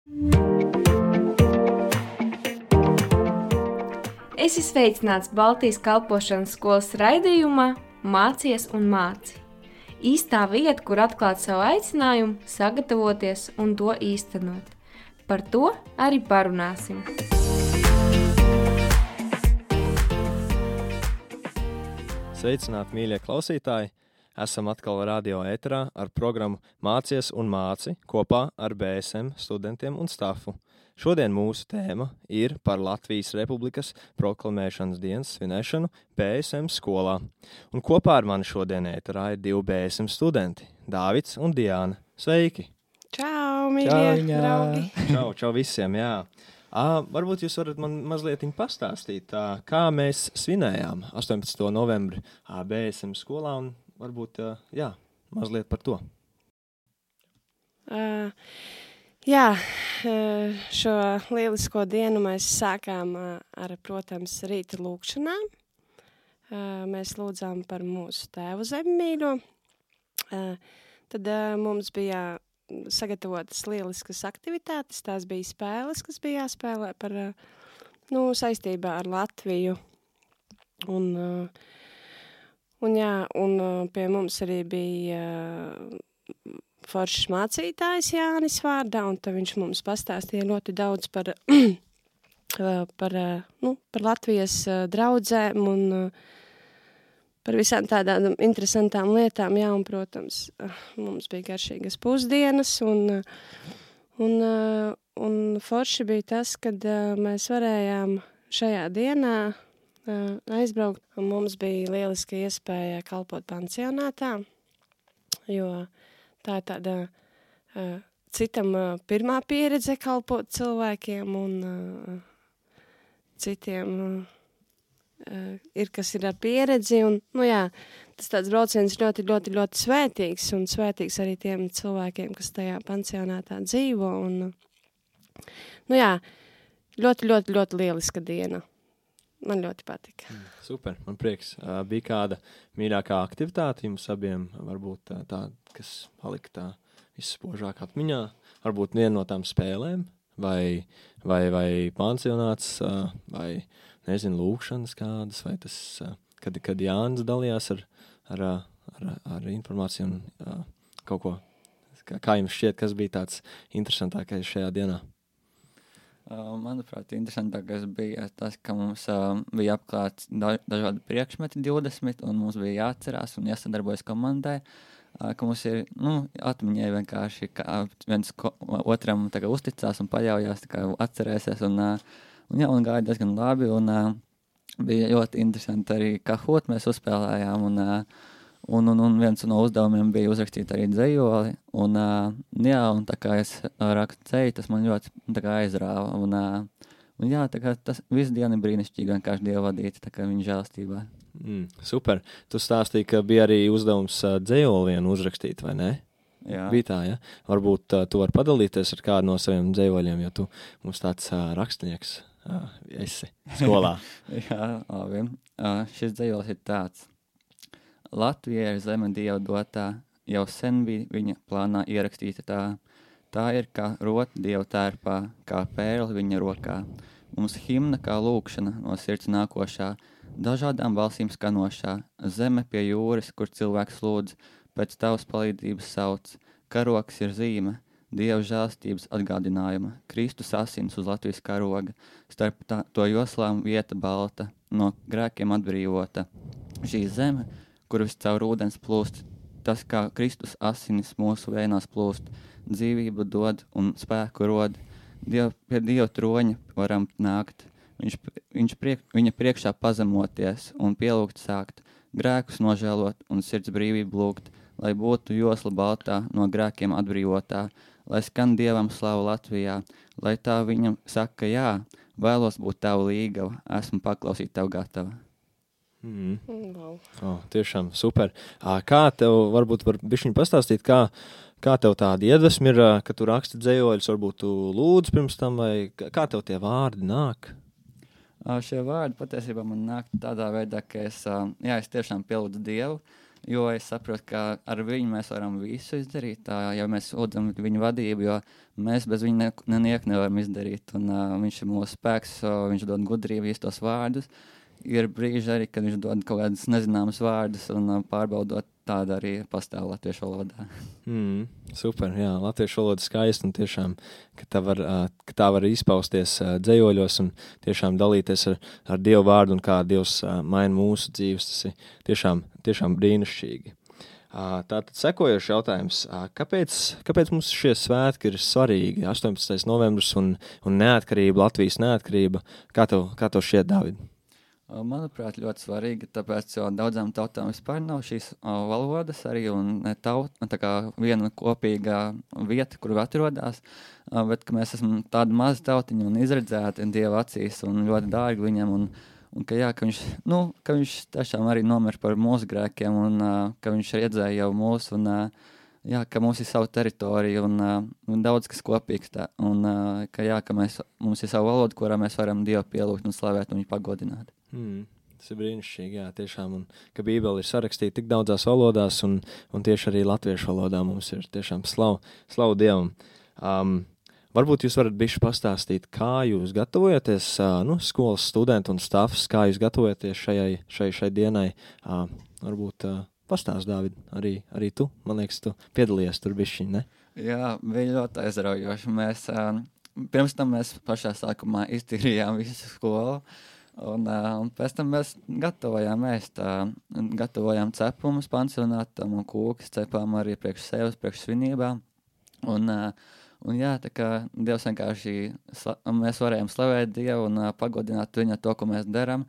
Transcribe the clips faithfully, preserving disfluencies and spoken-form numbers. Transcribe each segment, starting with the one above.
Esi sveicināts Baltijas kalpošanas skolas raidījumā Mācies un māci. Īstā vieta, kur atklāt savu aicinājumu, sagatavoties un to īstenot. Par to arī parunāsim. Sveicināti, mīļie klausītāji! Esam atkal radio ēterā ar programmu Mācies un māci kopā ar B S M studentiem un stafu. Šodien mūsu tēma ir par Latvijas Republikas proklamēšanas dienas svinēšanu B S M skolā. Un kopā ar mani šodien ēterā ir divi B S M studenti – Dāvids un Diāna. Sveiki! Čau, mīļie draugi! Čau, čau visiem, jā! À, varbūt jūs varat man mazliet pastāstīt, tā, kā mēs svinējām astoņpadsmitā novembri B S M skolā un varbūt, jā, mazliet par to. Uh, jā, šo lielisko dienu mēs sākām ar, protams, rīta lūkšanām. Uh, mēs lūdzām par mūsu tēvu zemmīļo. Uh, tad uh, mums bija sagatavotas lieliskas aktivitātes, tās bija spēles, kas bija jāspēlē par, nu, saistībā ar Latviju. Un, un jā, un pie mums arī bija foršs mācītājs Jānis vārdā, un tad viņš mums pastāstīja ļoti daudz par, par, nu, par Latvijas draudzēm un par visām tādām interesantām lietām, jā, un, protams, mums bija garšīgas pusdienas, un, un, un forši bija tas, kad mēs varējām šajā dienā aizbraukt, un mums bija lieliska iespēja kalpot pansionātā, jo tā ir tāda citam pirmā pieredze kalpot cilvēkiem, un citiem Uh, ir, kas ir ar pieredzi, un, nu jā, tas tāds brauciens ļoti, ļoti, ļoti svētīgs, un svētīgs arī tiem cilvēkiem, kas tajā pansionātā dzīvo, un, nu jā, ļoti, ļoti, ļoti lieliska diena. Man ļoti patika. Mm, super, man prieks. Uh, bija kāda mīļākā aktivitāte jums abiem, varbūt tā, tā kas palika tā visspožāk atmiņā, varbūt viena no tām spēlēm, vai, vai, vai pansionāts, uh, vai nezinu, lūkšanas kādas, vai tas, kad, kad Jānis dalījās ar, ar, ar, ar informāciju un uh, kaut ko. Kā, kā jums šķiet, kas bija tāds interesantākais šajā dienā? Uh, manuprāt, interesantākais bija tas, ka mums uh, bija apklāts da- dažādi priekšmeti divdesmit, un mums bija jāatcerās un jāsadarbojas komandai, uh, ka mums ir, nu, atmiņai vienkārši, ka viens ko, otram tā kā uzticās un paļaujās, tā kā atcerēsies, un uh, Un, jā, un gāja diezgan labi, un uh, bija ļoti interesanti arī kahot mēs uzspēlējām, un, uh, un, un, un viens no uzdevumiem bija uzrakstīt arī dzejoli, un, uh, jā, un tā kā es rakstu dzeju, tas man ļoti tā kā aizrāva, un, uh, un jā, tā kā tas visu dienu brīnišķīgi vienkārši Dievu vadīt, tā kā viņa žēlstībā. Mm, super. Tu stāstīji, ka bija arī uzdevums uh, dzejoli vienu uzrakstīt, vai ne? Jā. Bija tā, ja? Varbūt uh, tu vari padalīties ar kādu no saviem dzejoļiem, jo tu mums tāds uh, rakstnieks uh, esi skolā. Jā, labi. Uh, šis dzejols ir tāds. Latvija ir zeme Dieva dotā, jau sen bija viņa plānā ierakstīta tā. Tā ir kā rota Dieva tērpā, kā pērle viņa rokā. Mums himna kā lūkšana no sirds nākošā, dažādām balsīm skanošā, zeme pie jūras, kur cilvēks lūdz, pēc tavas palīdzības sauc, karoks ir zīme, Dieva žēlstības atgādinājuma, Kristus asins uz Latvijas karoga, starp tā, to joslām vieta balta, no grēkiem atbrīvota. Šī zeme, kur vis caur ūdens plūst, tas kā Kristus asinis mūsu vēnās plūst, dzīvību dod un spēku rod, Diev, pie Dieva troņa varam nākt, viņš, viņš priek, viņa priekšā pazemoties un pielūgt sākt, grēkus nožēlot un sirds brīvību lūgt, lai būtu josla baltā, no grēkiem atbrīvotā, lai skan Dievam slavu Latvijā, lai tā viņam saka jā, vēlos būt tavu līgava, esmu paklausīt tev gatava. Mm. Wow. Oh, tiešām super. Kā tev, varbūt var bišķiņ pastāstīt, kā, kā tev tāda iedvesma ir, ka tu raksti dzejoļus, varbūt tu lūdz pirms tam, vai kā tev tie vārdi nāk? Šie vārdi patiesībā man nāk tādā veidā, ka es, jā, es tiešām pielūdzu Dievu, jo es saprotu, ka ar viņu mēs varam visu izdarīt, tā, ja mēs lūdzam viņu vadību, jo mēs bez viņa ne, neniek nevaram izdarīt, un uh, viņš ir mūsu spēks, uh, viņš dod gudrību, īstos vārdus. Ir brīži arī, kad viņš dod kaut kādus nezināmus vārdus, un uh, pārbaudot tādu arī pastāv latviešu valodā. Mm, super, jā, latviešu valoda skaista, un tiešām, ka tā var, uh, ka tā var izpausties uh, dzējoļos, un tiešām dalīties ar, ar Dievu vārdu, un kā Dievs uh, maina mūsu dzīves, tas ir tiešām, tiešām brīnišķīgi. Uh, tātad sekojošs jautājums, uh, kāpēc, kāpēc mums šie svētki ir svarīgi, astoņpadsmitais novembris un, un neatkarība, Latvijas neatkarība, kā tev, kā tev šķiet, Dāvid? Manuprāt, ļoti svarīgi, tāpēc, jo daudzām tautām vispār nav šīs uh, valodas arī, un ne taut, tā kā viena kopīga vieta, kur atrodas, uh, bet ka mēs esam tādi mazi tautiņi un izredzēti Dieva acīs un ļoti dārgi viņam, un Un ka, jā, ka, viņš, nu, ka viņš tiešām arī nomir par mūsu grēkiem, un uh, ka viņš redzēja jau mūsu, un uh, jā, ka mums ir savu teritoriju, un, uh, un daudz kas kopīgs. Tā, un uh, ka, jā, ka mēs, mums ir savu valodu, kurā mēs varam Dievu pielūgt un slavēt un viņu pagodināt. Mm, tas ir brīnišķīgi, jā, tiešām. Un ka Bībele ir sarakstīta tik daudzās valodās, un, un tieši arī latviešu valodā mums ir tiešām slavu, slavu Dievam. Um, Varbūt jūs varat bišķi pastāstīt, kā jūs gatavojaties, nu, skolas studenti un stafs, kā jūs gatavojaties šajai, šai, šai dienai. Varbūt pastāst, Dāvid, arī, arī tu, man liekas, tu piedalījies tur bišķiņ, ne? Jā, bija ļoti aizraujoši. Mēs, pirms tam mēs pašā sākumā iztīrījām visu skolu, un, un pēc tam mēs gatavojām ēst, gatavojām cepumus pansionātam un kūkas cepām arī priekš sevis, priekš svinībām. Un, Un jā, tā kā Dievs vienkārši, mēs varējām slavēt Dievu un uh, pagodināt viņu to, ko mēs darām,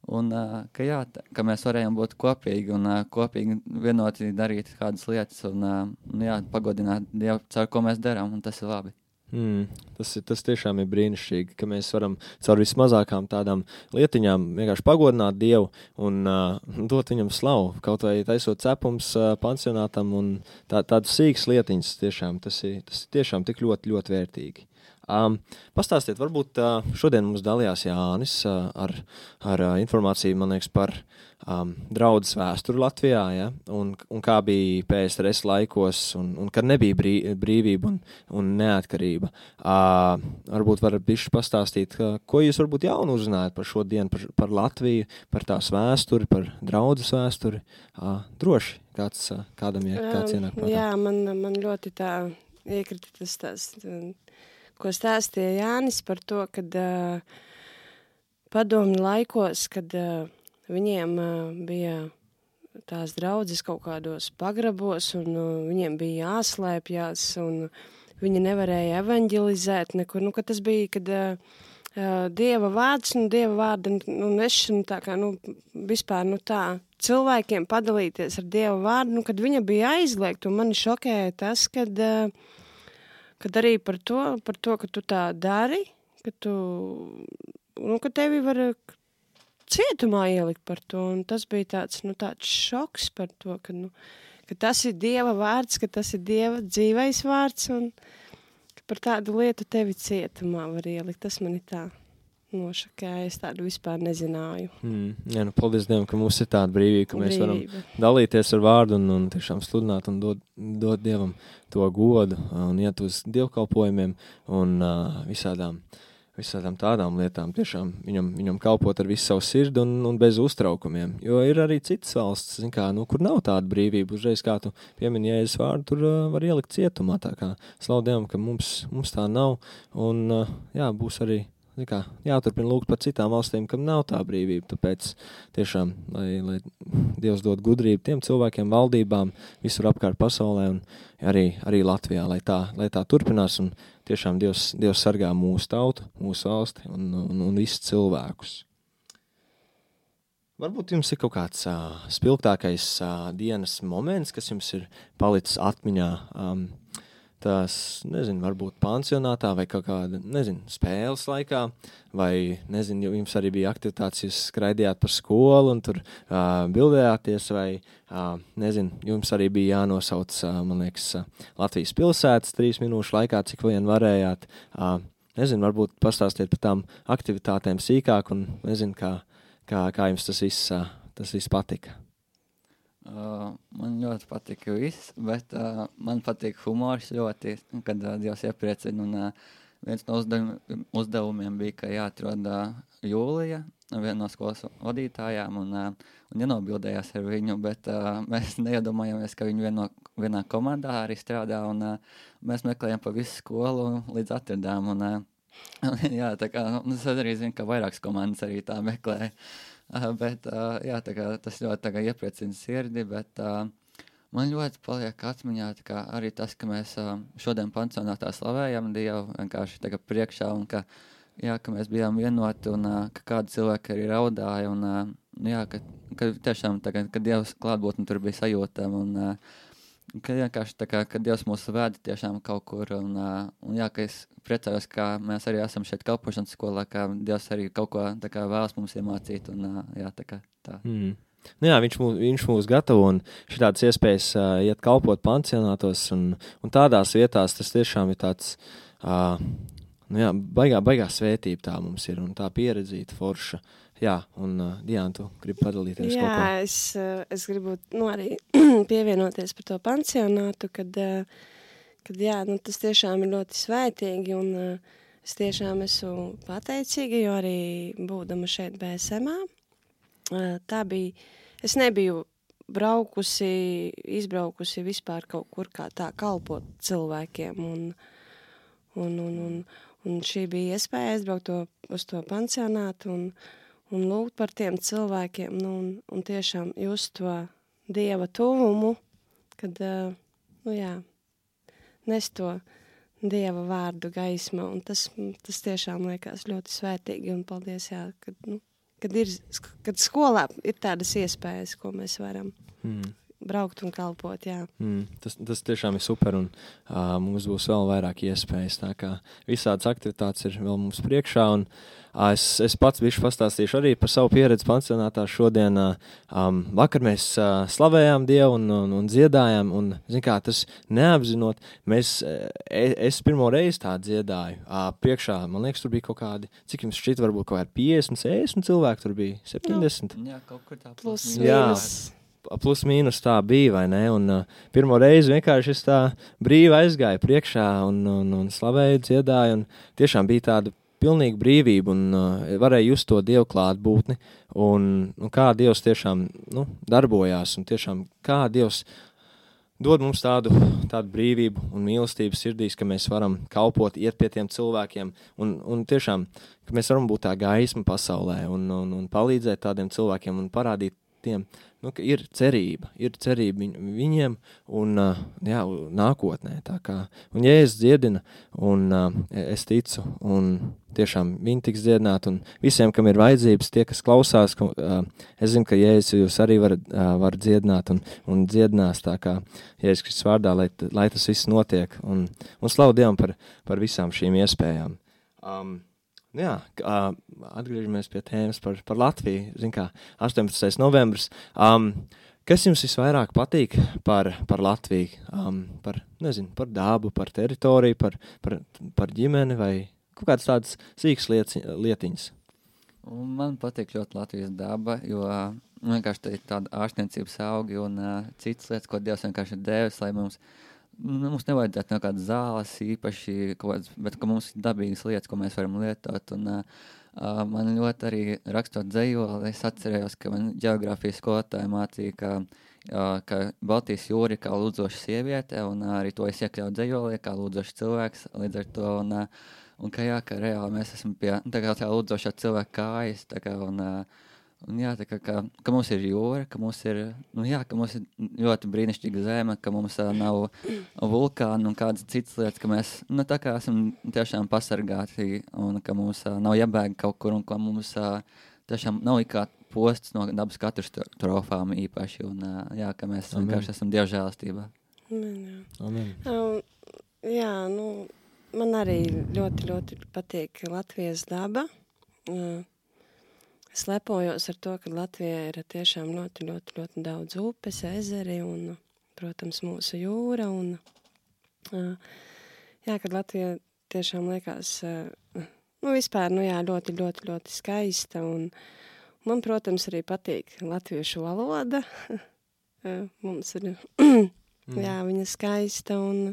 un uh, ka jā, tā, ka mēs varējām būt kopīgi un uh, kopīgi vienoti darīt kādas lietas un, uh, un jā, pagodināt Dievu, caur ko mēs darām, un tas ir labi. Mm, tas, ir, tas tiešām ir brīnišķīgi, ka mēs varam caur vismazākām tādām lietiņām vienkārši pagodināt Dievu un uh, dot viņam slavu, kaut vai taisot cepums uh, pansionātam un tā, tādas sīkas lietiņas tiešām, tas ir, tas ir tiešām tik ļoti, ļoti vērtīgi. Um, pastāstiet, varbūt uh, šodien mums dalījās Jānis uh, ar, ar uh, informāciju, man liekas, par um, draudzes vēsturi Latvijā, ja? un, un kā bija P S R S laikos, un, un kad nebija brī, brīvība un, un neatkarība. Uh, varbūt varat bišķi pastāstīt, uh, ko jūs varbūt jaunu uzzinājāt par šo dienu, par, par Latviju, par tās vēsturi, par draudzes vēsturi. Uh, droši, kāds, uh, kādam ir, kāds ienāk prātā. Jā, man, man ļoti tā iekrita tas tās... ko stāstīja Jānis par to, kad uh, padomju laikos, kad uh, viņiem uh, bija tās draudzes kaut kādos pagrabos, un uh, viņiem bija jāslēpjās, un viņi nevarēja evanģelizēt nekur. Nu, kad tas bija, kad uh, Dieva vārds, nu, Dieva vārda, nu, nešana tā kā, nu, vispār, nu, tā, cilvēkiem padalīties ar Dieva vārdu, nu, kad viņa bija aizliegta, un mani šokēja tas, kad... Uh, Kad arī par to, par to, ka tu tā dari, ka tu, nu, ka tevi var cietumā ielikt par to, un tas bija tāds, nu, tāds šoks par to, ka, nu, ka tas ir Dieva vārds, ka tas ir Dieva dzīvais vārds, un ka par tādu lietu tevi cietumā var ielikt. Tas man ir tā nošakēja, es tādu vispār nezināju. Mm, jā, nu, paldies Dievam, ka mums ir tāda brīvība, ka mēs Brīvība. varam dalīties ar vārdu un, un tiešām sludināt un dot, dot Dievam to godu un iet uz dievkalpojumiem un uh, visādām, visādām tādām lietām. Tiešām viņam, viņam kalpot ar visu savu sirdi un, un bez uztraukumiem. Jo ir arī citas valsts, zin kā, nu, kur nav tāda brīvība. Uzreiz, kā tu piemini Jēzus vārdu, tur uh, var ielikt cietumā. Tā kā slavu Dievam, ka mums, mums tā nav un uh, jā, būs arī kā, jāturpina lūgt par citām valstīm, kam nav tā brīvība, tāpēc tiešām, lai, lai Dievs dod gudrību tiem cilvēkiem, valdībām, visur apkārt pasaulē un arī, arī Latvijā, lai tā, lai tā turpinās un tiešām Dievs, Dievs sargā mūsu tautu, mūsu valsti un, un, un visus cilvēkus. Varbūt jums ir kaut kāds uh, spilgtākais uh, dienas moments, kas jums ir palicis atmiņā, um, tās, nezinu, varbūt pansionātā vai kaut kāda, nezinu, spēles laikā, vai, nezinu, jums arī bija aktivitātes, jūs skraidījāt par skolu un tur uh, bildējāties, vai, uh, nezinu, jums arī bija jānosauc, uh, man liekas, uh, Latvijas pilsētas trīs minūšu laikā, cik vien varējāt. Uh, nezinu, varbūt pastāstiet par tām aktivitātēm sīkāk un, nezinu, kā, kā, kā jums tas viss, uh, tas viss patika. Uh, man ļoti patīk viss, bet uh, man patīk humors ļoti, kad uh, Dievs iepriecina. Un, uh, viens no uzdevumiem, uzdevumiem bija, ka jāatrod uh, Jūlija, viena no skolas vadītājām, un, uh, un jānobildējās ar viņu, bet uh, mēs neiedomājamies, ka viņi vieno, vienā komandā arī strādā, un uh, mēs meklējam pa visu skolu līdz atradām. Un, uh, jā, tā kā, nu, es arī zinu, ka vairākas komandas arī tā meklē. Uh, bet, uh, jā, tā kā tas ļoti tā kā iepriecina sirdi, bet uh, man ļoti paliek atmiņā tā kā arī tas, ka mēs uh, šodien pansionātā slavējam Dievu vienkārši tā kā priekšā, un ka, jā, ka mēs bijām vienoti, un uh, ka kādi cilvēki arī raudāja, un uh, jā, ka, ka tiešām tā kā, ka Dievs klātbūtne tur bija sajūtama, un uh, ka vienkārši tā kā, ka Dievs mūs vēda tiešām kaut kur, un, uh, un jā, ka es priecājos, ka mēs arī esam šeit kalpošanas skolā, ka Dievs arī kaut ko tā kā vēlas mums iemācīt, un uh, jā, tā kā tā. Mm. Nu jā, viņš mūs, viņš mūs gatavo, un šitādas iespējas uh, iet kalpot pansionātos, un, un tādās vietās tas tiešām ir tāds, uh, nu jā, baigā, baigā svētība tā mums ir, un tā pieredzīta forša. Jā, un uh, Diana, tu gribi padalīties Jā, kaut ko? es, es gribu nu, arī pievienoties par to pansionātu, kad, kad jā, nu, tas tiešām ir ļoti svētīgi, un uh, es tiešām esmu pateicīga, jo arī būdama šeit B S M-ā, uh, tā bija, es nebiju braukusi, izbraukusi vispār kaut kur kā tā kalpot cilvēkiem, un, un, un, un, un šī bija iespēja aizbraukt to, uz to pansionātu, un un lūgt par tiem cilvēkiem, nu, un, un tiešām just to Dieva tuvumu, kad, uh, nu jā, nes to Dieva vārdu gaisma, un tas, tas tiešām liekas ļoti svētīgi, un paldies, jā, kad, nu, kad, ir, kad skolā ir tādas iespējas, ko mēs varam mm. braukt un kalpot, jā. Mm, tas, tas tiešām ir super, un uh, mums būs vēl vairāk iespējas, tā kā visādas aktivitātes ir vēl mums priekšā, un uh, es, es pats bišķi pastāstīšu arī par savu pieredzi pansionātā šodien. Uh, um, vakar mēs uh, slavējām Dievu un, un, un dziedājām, un, zin kā, tas neapzinot, mēs, es, es pirmo reizi tā dziedāju. Uh, priekšā, man liekas, tur bija kaut kādi, cik jums šķiet, varbūt kaut kādi piecdesmit, sešdesmit cilvēki, tur bija septiņdesmit. Jā, kaut kur tā plus mīnus. Plus mīnus tā bija, vai ne? Un uh, pirmo reizi vienkārši es tā brīvi aizgāju priekšā un, un, un slavēju, dziedāju, un tiešām bija tāda pilnīga brīvība, un uh, varēja just to Dievu klātbūtni, un, un kā Dievs tiešām nu, darbojās, un tiešām kā Dievs dod mums tādu, tādu brīvību un mīlestību sirdīs, ka mēs varam kalpot, iet pie tiem cilvēkiem, un, un tiešām, ka mēs varam būt tā gaisma pasaulē, un, un, un palīdzēt tādiem cilvēkiem, un parādīt tiem, nu, ka ir cerība, ir cerība viņ, viņiem un uh, jā, nākotnē, tā kā, un Jēzus dziedina, un uh, es ticu, un tiešām viņi tiks dziedināti, un visiem, kam ir vajadzības, tie, kas klausās, ka, uh, es zinu, ka Jēzus jūs arī var, uh, var dziedināt un, un dziedinās, tā kā Jēzus Kristus vārdā, lai, lai tas viss notiek, un, un slavu Dievam par, par visām šīm iespējām. Um, Jā, atgriežamies pie tēmas par, par Latviju. Zin kā, astoņpadsmitais novembris. Um, kas jums visvairāk patīk par, par Latviju? Um, par, nezinu, par dabu, par teritoriju, par, par, par ģimeni vai kaut kādas tādas sīkas lieti, lietiņas? Man patīk ļoti Latvijas daba, jo vienkārši tā ir tāda ārstniecības augi un uh, citas lietas, ko Dievs vienkārši ir devis, lai mums Mums nevajadzētu no kādas zāles īpaši, kāds, bet ka mums ir dabīgas lietas, ko mēs varam lietot. Un, uh, man ļoti arī rakstot dzejoli, es atcerējos, ka man ģeogrāfijas skolotāja mācīja, ka, uh, ka Baltijas jūra ir kā lūdzoša sieviete, un uh, arī to es iekļauju dzejolī, kā lūdzošs cilvēks līdz ar to. Un, uh, un ka jā, ka reāli mēs esam pie tā kā tā lūdzošā cilvēka kājas, tā kā, un, uh, Un jā, tā kā, ka, ka mums ir jūra, ka mums ir, nu jā, ka mums ir ļoti brīnišķīga zeme, ka mums uh, nav vulkāni un kādas citas lietas, ka mēs, nu tā kā esam tiešām pasargāti un ka mums uh, nav jābēg kaut kur un ka mums uh, tiešām nav ikā posts no dabas katastrofām īpaši un uh, jā, ka mēs Amen. vienkārši esam dievžēlastībā. Amen, jā. Amen. Um, jā, nu, man arī ļoti, ļoti patīk Latvijas daba. Uh, Es lepojos ar to, ka Latvijā ir tiešām ļoti, ļoti, ļoti daudz upes, ezeri un, protams, mūsu jūra. Un, jā, kad Latvija tiešām liekas, nu, vispār, nu jā, ļoti, ļoti, ļoti skaista. Un man, protams, arī patīk latviešu valoda. uh, mums ir, Mm. jā, viņa skaista un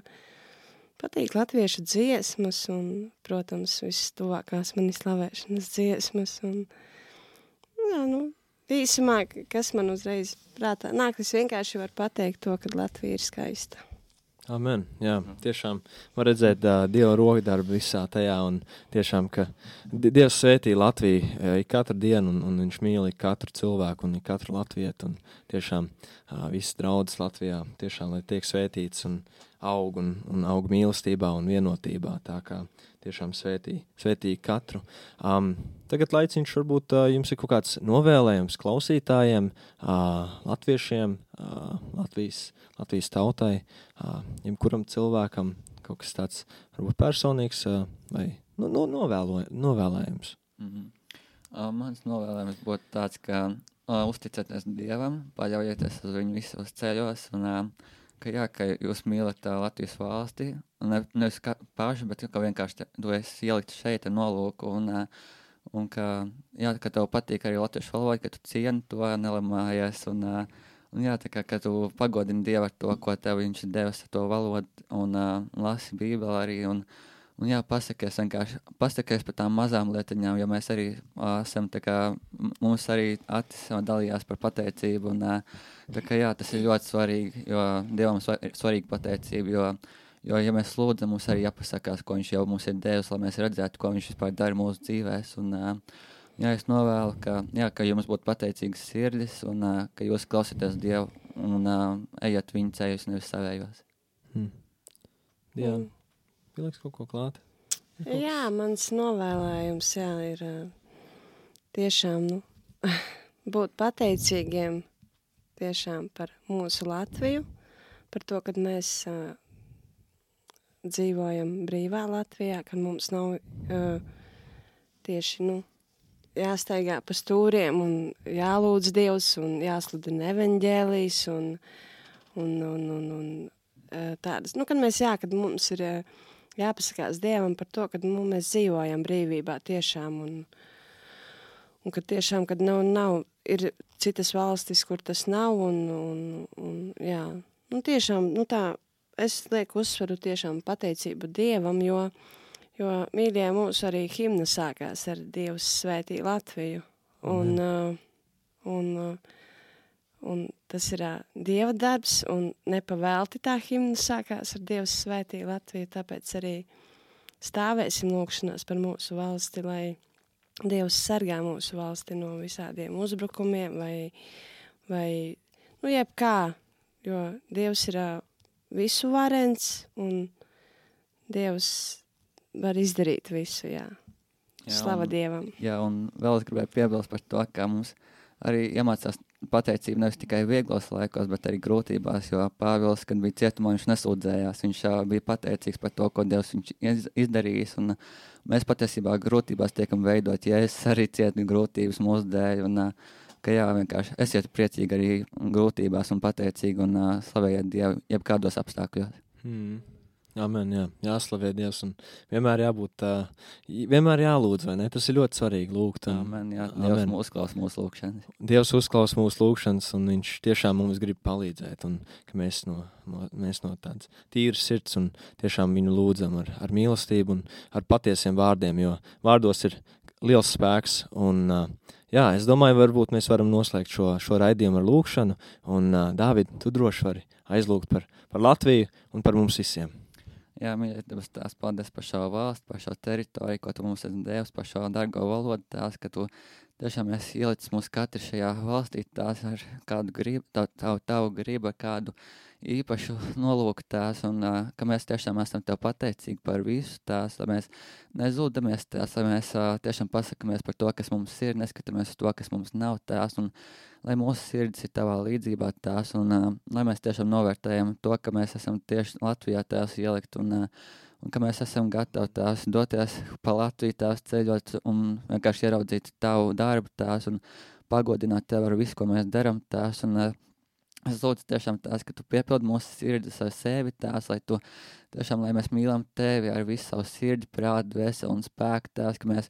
patīk latviešu dziesmas un, protams, visas tuvākās manis slavēšanas dziesmas un, jā, nu, īsumā, kas man uzreiz prātā nāk, es vienkārši varu pateikt to, ka Latvija ir skaista. Amen, jā, tiešām var redzēt uh, Dieva rokdarbu visā tajā un tiešām, ka Dievs svētī Latviju uh, katru dienu un, un viņš mīl katru cilvēku un katru latvietu un tiešām uh, visas draudzes Latvijā tiešām, lai tiek svētīts un aug un, un aug mīlestībā un vienotībā, tā kā tiešām svētī, svētī katru. Um, tagad laiciņš varbūt uh, jums ir kaut kāds novēlējums klausītājiem, uh, latviešiem, uh, Latvijas, Latvijas tautai, uh, jebkuram cilvēkam kaut kas tāds varbūt personīgs uh, vai nu, nu, novēlo, novēlējums. Mm-hmm. Uh, mans novēlējums būtu tāds, ka uh, uzticieties Dievam, paļaujieties uz viņu visos ceļos un uh, ka jā, ka jūs mīlat tā Latvijas valsti, un ne, nevis kā paši, bet ka vienkārši tu esi ielikt šeit ar nolūku, un, un ka, jā, ka tev patīk arī latviešu valoda, ka tu cieni to, nelamājies, un, un jā, tā kā, ka tu pagodini Dievu ar to, ko tev viņš ir devis ar to valodu, un uh, lasi Bībeli arī, un, un jā, pasakies vienkārši, pasakies par tām mazām lietiņām, jo mēs arī uh, esam, tā kā, mums arī Atis dalījās par pateicību, un uh, tā kā jā, tas ir ļoti svarīgi, jo Dievam ir svarīga pateicība, jo, jo ja mēs lūdzam, mums arī jāpasakās, ko viņš jau mums ir devis, lai mēs redzētu, ko viņš vispār dara mūsu dzīvēs, un uh, jā, es novēlu, ka, jā, ka jums būtu pateicīgas sirdis, un uh, ka jūs klausieties Dievu, un uh, ejat viņa ceļus, nevis savējos. Hmm. Jā. Mm. Pieliks kaut ko klāt? Kaut jā, mans novēlējums, jā, ir uh, tiešām, nu, būt pateicīgiem tiešām par mūsu Latviju, par to, kad mēs uh, dzīvojam brīvā Latvijā, kad mums nav uh, tieši, nu, jāstaigā pa stūriem un jālūdz Dievs un jāsludina evaņģēlijs un, un, un, un, un uh, tādas, nu, kad mēs, jā, kad mums ir uh, jāpasakās Dievam par to, kad nu, mēs dzīvojam brīvībā tiešām un, un kad tiešām, kad nav, nav, ir citas valstis, kur tas nav un, un, un jā, nu tiešām, nu tā, es lieku uzsvaru tiešām pateicību Dievam, jo, jo mīļie mūsu arī himna sākās ar Dievs svētī Latviju un, mm. uh, un, uh, un tas ir uh, Dieva darbs un nepavēlti tā himna sākās ar Dievs svētī Latviju, tāpēc arī stāvēsim lūkšanās par mūsu valsti, lai Dievs sargā mūsu valsti no visādiem uzbrukumiem vai, vai nu, jebkā, jo Dievs ir uh, visu varens un Dievs var izdarīt visu, jā. jā Slava un, Dievam. Jā, un vēl es gribēju piebilst par to, ka mums arī iemācās pateicību nevis tikai vieglos laikos, bet arī grūtībās, jo Pāvils, kad bija cietumā, viņš nesūdzējās, viņš uh, bija pateicīgs par to, ko Dievs viņš iz, izdarījis, un uh, mēs patiesībā grūtībās tiekam veidot, ja es arī cietu grūtības mūsu dēļ, un uh, ka jā, vienkārši esiet priecīgi arī grūtībās un pateicīgi un uh, slavējiet Dievu jebkādos apstākļos. Hmm. Amen, jā, jāslavē Dievs un vienmēr jābūt, uh, vienmēr jālūdz, vai ne? Tas ir ļoti svarīgi lūgt. Un, amen, jā, Dievs amen. Uzklaus mūsu lūgšanas. Dievs uzklaus mūsu lūgšanas un viņš tiešām mums grib palīdzēt un ka mēs no, no, mēs no tādas tīras sirds un tiešām viņu lūdzam ar, ar mīlestību un ar patiesiem vārdiem, jo vārdos ir liels spēks un uh, jā, es domāju, varbūt mēs varam noslēgt šo, šo raidījumu ar lūgšanu un uh, Dāvid, tu droši vari aizlūgt par, par Latviju un par mums visiem. Jā, mīļie, Dievs, tās paldies par šo valstu, par šo teritoriju, ko tu mums esi devis, par šo dargo valodu, tās, ka tu tiešām esi ielicis mūs katru šajā valstī, tās ar kādu gribu, tavu, tavu, tavu gribu, ar kādu īpašu nolūku tās, un uh, ka mēs tiešām esam tev pateicīgi par visu tās, lai mēs nezūdamies tās, lai mēs uh, tiešām pasakamies par to, kas mums ir, neskatāmies uz to, kas mums nav tās, un lai mūsu sirds ir tavā līdzībā tās, un uh, lai mēs tiešām novērtējam to, ka mēs esam tieši Latvijā tās ielikt, un, uh, un ka mēs esam gatavi tās doties pa Latviju tās ceļot, un vienkārši ieraudzīt tavu darbu tās, un pagodināt tev ar visu, ko mēs daram tās, un uh, es lūdzu tiešām tās, ka tu piepildi mūsu sirdis ar sevi tās, lai tu tiešām, lai mēs mīlam tevi ar visu savu sirdi, prātu, dvēseli un spēku tās, ka mēs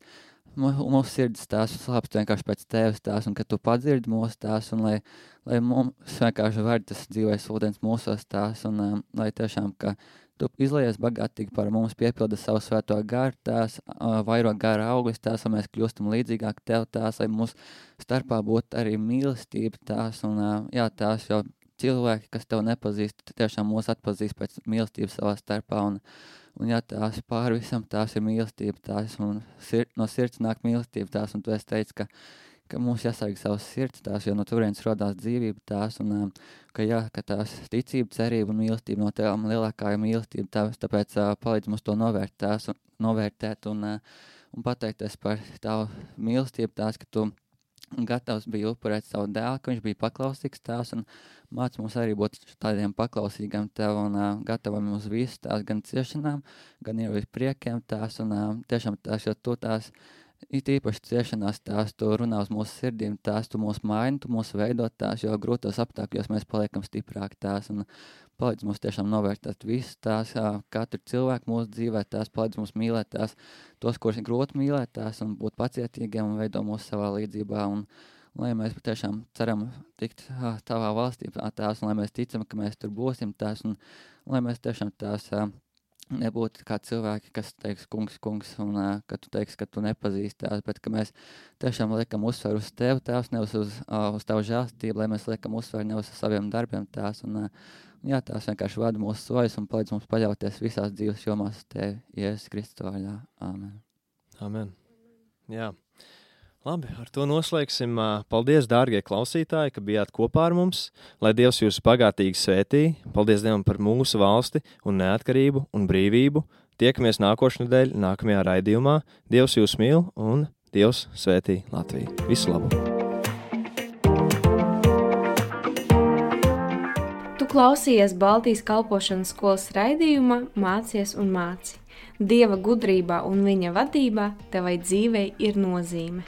mūsu sirds tās slāpst vienkārši pēc tevis tās, un ka tu padzirdi mūsu tās, un lai, lai mums vienkārši var tas dzīvais ūdens mūsos tās, un um, lai tiešām, ka tu izlaies bagātīgi par mums, piepilda savu svēto garu tās, uh, vairo gara auglis tās, lai mēs kļūstam līdzīgāk tev tās, lai mūsu starpā būtu arī mīlestība tās, un uh, jā, tās jau cilvēki, kas tev nepazīst, tiešām mūs atpazīst pēc mīlestības savā starpā, un Un jā, tās pāri visam tās ir mīlestība tās, un sir, no sirds nāk mīlestība tās, un tu esi teicis, ka, ka mums jāsarg savas sirds tās, jo no turienes rodās dzīvība tās, un ka jā, ka tās ticība, cerība un mīlestība no tevām lielākā ir mīlestība tās, tāpēc uh, palīdz mums to novērt tās, un, novērtēt un, uh, un pateikties par tavu mīlestību tās, ka tu gatavs bija upurēt savu dēlu, ka viņš bija paklausīgs tās, un māc mums arī būt tādiem paklausīgiem tev un uh, gatavam uz visu tās, gan ciešanām, gan jau uz priekiem tās, un uh, tiešām tās, jo tu tās, it īpaši ciešanās tās, tu runā uz mūsu sirdīm tās, tu mūs maini, tu mūs veidot tās, jo grūtos apstākļos mēs paliekam stiprāk tās, un palīdz mums tiešām novērtēt visu tās, uh, katru cilvēku mūsu dzīvē tās, palīdz mums mīlēt tās, tos, kurus ir grūti mīlēt tās, un būt pacietīgiem un veido mūsu savā līdzībā, un lai mēs tiešām ceram tikt uh, tavā valstī tās, un lai mēs ticam, ka mēs tur būsim tās, un lai mēs tiešām tās uh, nebūtu kā cilvēki, kas teiks kungs, kungs, un uh, ka tu teiks, ka tu nepazīsti tās, bet ka mēs tiešām liekam uzsvaru uz tevi tās, nevis uz, uh, uz tavu žēlstību, lai mēs liekam uzsvaru nevis uz saviem darbiem tās, un uh, jā, tās vienkārši vada mūsu sojas un palīdz mums paļauties visās dzīves jomās uz tevi, Jēzus Kristus vārdā. Āmen. Amen. Jā. Labi, ar to noslēgsim. Paldies, dārgie klausītāji, ka bijāt kopā ar mums. Lai Dievs jūs bagātīgi svētī. Paldies Dievam par mūsu valsti un neatkarību un brīvību. Tiekamies nākošnedēļ, nākamajā raidījumā. Dievs jūs mīl un Dievs svētī Latviju. Visu labu! Tu klausījies Baltijas kalpošanas skolas raidījumā Mācies un māci. Dieva gudrībā un viņa vadībā tevai dzīvei ir nozīme.